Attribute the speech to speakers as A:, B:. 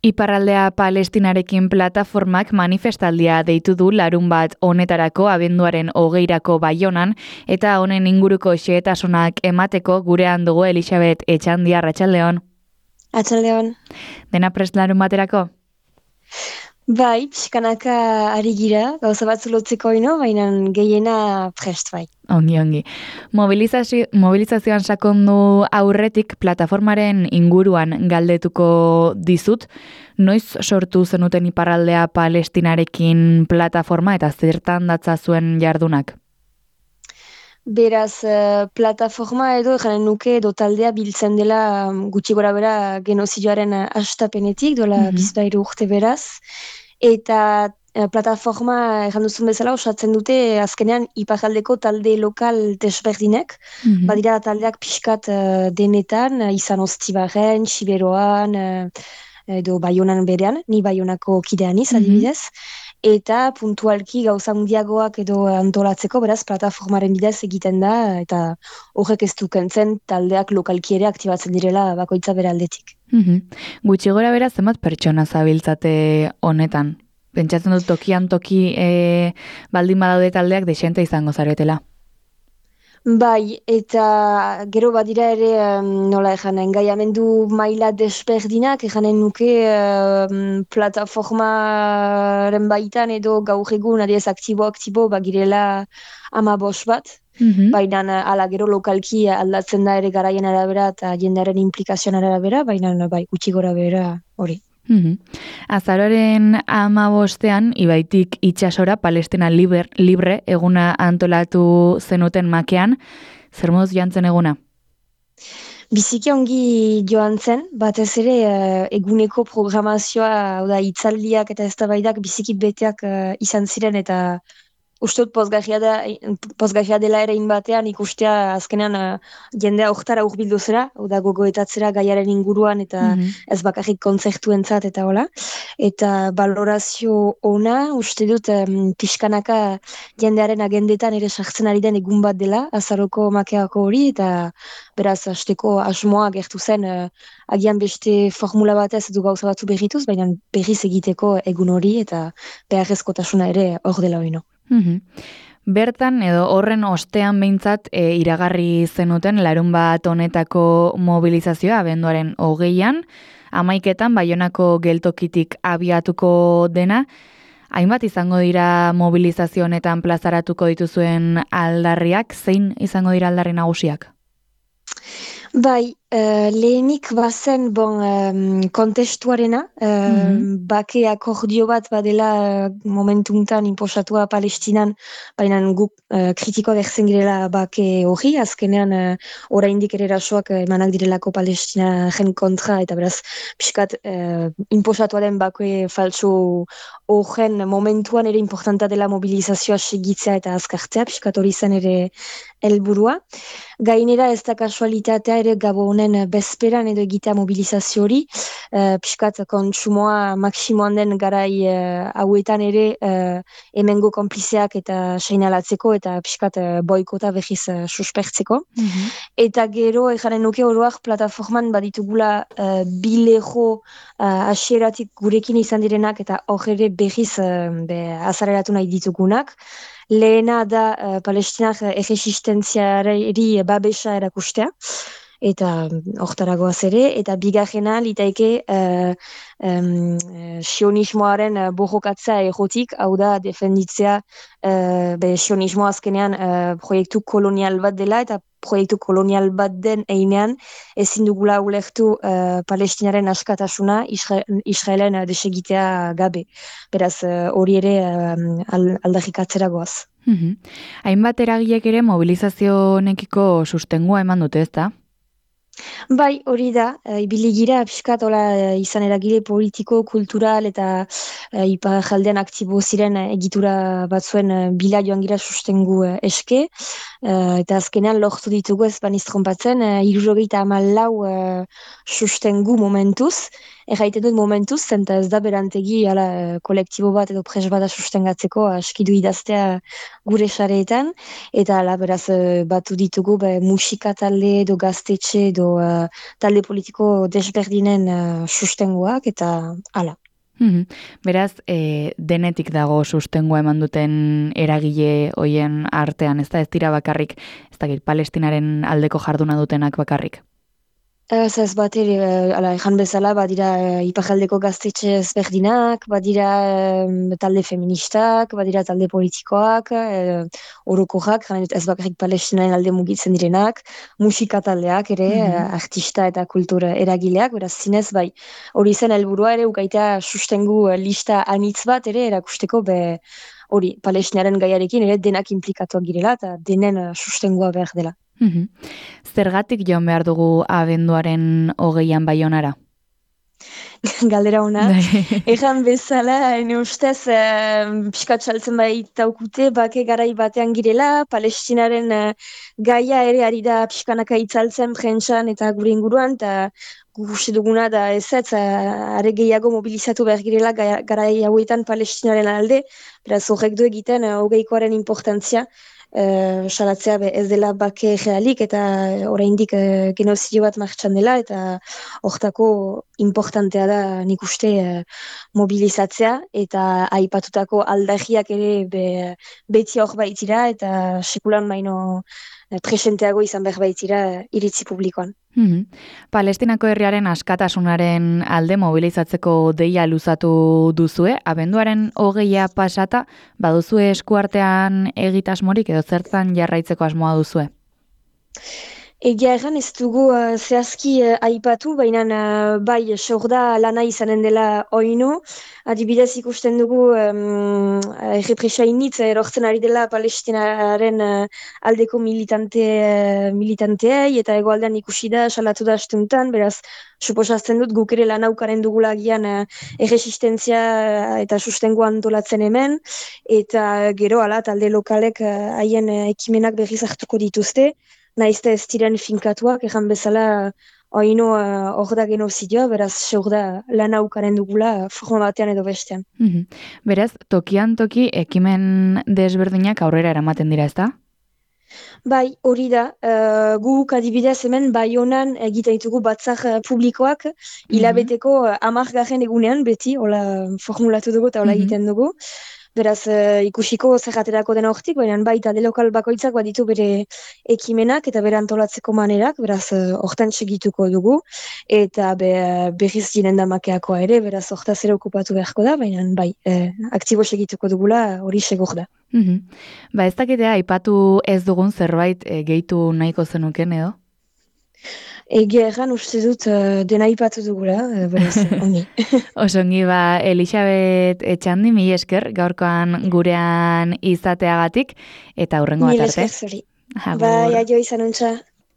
A: Iparraldea Palestinarekin plataformak manifestaldia deitu du larunbat honetarako abenduaren 20 Baionan eta honen inguruko xehetasunak emateko gurean dugu Elisabet Etxandia. Arratsaldeon.
B: Atxaldeon.
A: Dena prest larunbaterako?
B: Bai, pixkanaka ari gira, gauza batzu lotzeko ino, baina gehiena prest bai.
A: Ongi. Mobilizazioan sakondu aurretik plataformaren inguruan galdetuko dizut, noiz sortu zenuten Iparraldea Palestinarekin plataforma eta zertan datza zuen jardunak?
B: Beraz, plataforma edo janen nuke edo taldea biltzen dela gutxi gora bera genozidioaren hastapenetik, dola bizpahiru urte beraz. Eta plataforma erran duzun bezala osatzen dute azkenean iparraldeko talde lokal desberdinek. Badira taldeak pixkat denetan, izan Oztibarren, Siberoan, edo Baionan berean, ni Baionako kideaniz adibidez. Eta puntualki gauza handiagoak edo antolatzeko, beraz, plataformaren bidez egiten da, eta horrek ez du kentzen taldeak lokalki ere aktibatzen direla bakoitza bere aldetik.
A: Gutxi gora bera zenbat pertsona zabiltzate honetan? Pentsatzen dut tokian toki baldin badaude taldeak desente izango zaretela.
B: Bai, eta gero badira ere, nola ejanen, engaiamendu maila desberdinak, ejanen nuke plataformaren baitan edo gaur egun adiez aktibo bagirela 15 bat, baina ala gero lokalki aldatzen da ere garaien arabera eta jendearen implikazioan arabera, baina bai, gutxi gora bera hori.
A: Azaroaren 15ean Ibaitik itsasora Palestina libre eguna antolatu zenuten makean, zer moduz joan zen eguna?
B: Biziki ongi joan zen, batez ere eguneko programazioa, hitzaldiak eta eztabaidak biziki beteak izan ziren eta uste dut pozgarria dela ere batean ikustea azkenean jendea hortara hurbildu zera, gogoetatzera gaiaren inguruan eta ez bakarrik kontzertuentzat eta hola. Eta valorazio ona, uste dut pixkanaka jendearen agendetan ere sartzen ari den egun bat dela, azaroko makeako hori, eta beraz, hasteko asmoa gertu zen agian beste formula batez edo gauza batzu berrituz, baina berriz egiteko egun hori eta beharrezkotasuna ere hor dela oino.
A: Bertan edo horren ostean behintzat iragarri zenuten larunbat honetako mobilizazioa abenduaren 20ean, 11etan Baionako geltokitik abiatuko dena. Hainbat izango dira mobilizazio honetan plazaratuko dituzuen aldarriak, zein izango dira aldarri nagusiak?
B: Bai, lehenik bazen kontestuarena, bake akordio bat badela momentuntan inposatua Palestinan, baina guk kritikoa gertzen girela bake hori, azkenean oraindik ere erasoak emanak direlako Palestinaren kontra, eta beraz, pixkat inposatua den bake falso horren momentuan ere importanta dela mobilizazioa segitzea eta azkartzea, pixkat hori zen ere helburua. Gainera ez da kasualitatea ere Gabonen bezperan edo egitea mobilizazio hori, pixkat kontsumoa maksimoan den garai hauetan ere hemengo konplizeak eta seinalatzeko eta pixkat boikota behiz suspertzeko. Eta gero ejanen nuke oroak plataforman baditugula bilego hasieratik gurekin izan direnak eta hor ere behiz azareratu nahi ditugunak. Lehena da Palestinak erresistentziari babesa erakustea, eta hortaragoaz ere, eta bigarrena litaike sionismoaren borrokatza errotik, hau da defenditzea sionismo azkenean proiektu kolonial bat dela, eta proiektu kolonial bat den einean ezin dugula ulertu Palestinaren askatasuna Israelen desegitea gabe. Beraz, hori ere aldarrikatzera goaz.
A: Hainbat eragilek ere mobilizazio honekiko sustengua eman dute, ezta?
B: Bai, hori da, ibili gira pixkat izan eragile politiko, kultural eta iparraldean aktibo ziren egitura batzuen bila joan gira sustengu eske, eta azkenean lortu ditugu ez baniz trompatzen, 74 sustengu momentuz, erraiten dut momentuz, zenta ez da berantegi kolektibo bat edo pres bada sustengatzeko askidu idaztea gure sareetan, eta ala beraz batu ditugu musika talde edo gaztetxe edo talde politiko desberdinen sustengoak, eta ala.
A: Beraz, denetik dago sustengua eman duten eragile hoien artean, ez dira bakarrik, ez dakit, Palestinaren aldeko jarduna dutenak bakarrik?
B: Ez bat ere, ejan bezala, badira iparraldeko gaztetxe ezberdinak, badira talde feministak, badira talde politikoak, orokorrak, ez bakarrik Palestinaren alde mugitzen direnak, musika taldeak ere, artista eta kultura eragileak, beraz zinez, bai, hori zen helburua ere, ukaita sustengu lista anitz bat ere, erakusteko hori, Palestinaren gaiarekin ere denak implikatuak girela, eta denen sustengua behar dela.
A: Zergatik joan behar dugu abenduaren 20an Baionara?
B: Galdera ona. Ejan bezala, ene ustez, pixkat saltzen baitaukute, bake garai batean girela, Palestinaren gaia ere ari da pixkanaka itzaltzen prentsan eta gure inguruan, eta guste duguna da are gehiago mobilizatu behar girela garai hauetan Palestinaren alde, beraz horrek du egiten 20koaren importantzia, salatzea ez dela bake realik eta oraindik genozidio bat martxan dela, eta hortako importantea da nik uste mobilizatzea, eta aipatutako aldagiak ere beti hor baitira, eta sekulan baino presenteago izan behar baitira iritzi publikoan.
A: Palestinako herriaren askatasunaren alde mobilizatzeko deia luzatu duzue, abenduaren 20a pasata, baduzue eskuartean egitasmorik edo zertan jarraitzeko asmoa duzue?
B: Egia erran ez dugu zehazki aipatu, baina bai, sorda lana izanen dela oino. Adibidez ikusten dugu errepresainitz erortzen ari dela Palestinaren aldeko militanteei, eta egoaldean ikusi da, salatu da astuntan, beraz, suposazten dut guk ere lanaukaren dugula gian erresistentzia eta sustengo antolatzen hemen, eta gero ala talde lokalek haien ekimenak berriz hartuko dituzte, naizte ez diren finkatuak, ejan bezala oino hor da genozidioa, beraz seur da lana ukaren dugula forma batean edo bestean.
A: Beraz, tokian toki ekimen desberdinak aurrera eramaten dira, ez da?
B: Bai, hori da, guk adibidez hemen Baionan egiten ditugu batzar publikoak, hilabeteko 10. egunean, beti, hola formulatu dugu eta hola egiten dugu. Beraz, ikusiko zerraterako dena hortik, baina bai talde lokal bakoitzak baditu bere ekimenak eta bere antolatzeko manerak, beraz, hortan segituko dugu, eta berriz diren damakeakoa ere, beraz, hortaz ere okupatu beharko da, baina bai, aktibo segituko dugula hori segur da.
A: Ba ez dakitea, aipatu ez dugun zerbait gehitu nahiko zenuken edo?
B: Egia erran uste dut dena ipatu dugula, beraz, ongi.
A: Osongi, Elisabet Etxandi, mila esker, gaurkoan gurean izateagatik, eta hurrengo bat arte.
B: Mila esker zuri. Bai, aio izan untza.